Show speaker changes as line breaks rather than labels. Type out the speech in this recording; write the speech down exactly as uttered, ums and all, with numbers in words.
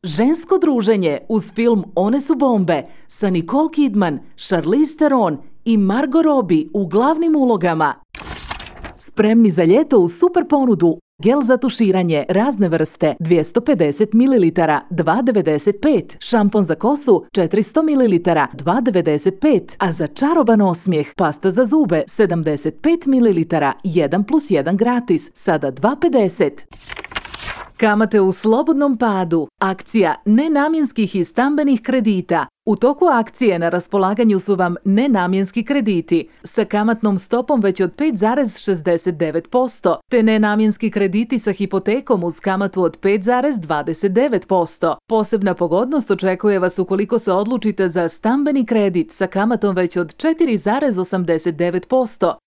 Žensko druženje uz film One su bombe sa Nicole Kidman, Charlize Theron i Margot Robbie u glavnim ulogama. Spremni za ljeto u super ponudu. Gel za tuširanje razne vrste dvjesto pedeset mililitara dva devedeset pet, šampon za kosu četiristo mililitara dva devedeset pet, a za čaroban osmijeh pasta za zube sedamdeset pet mililitara jedan plus jedan gratis, sada dva pedeset. Kamate u slobodnom padu. Akcija nenamjenskih i stambenih kredita. U toku akcije na raspolaganju su vam nenamjenski krediti sa kamatnom stopom već od pet zarez šezdeset devet posto, te nenamjenski krediti sa hipotekom uz kamatu od pet zarez dvadeset devet posto. Posebna pogodnost očekuje vas ukoliko se odlučite za stambeni kredit sa kamatom već od četiri zarez osamdeset devet posto.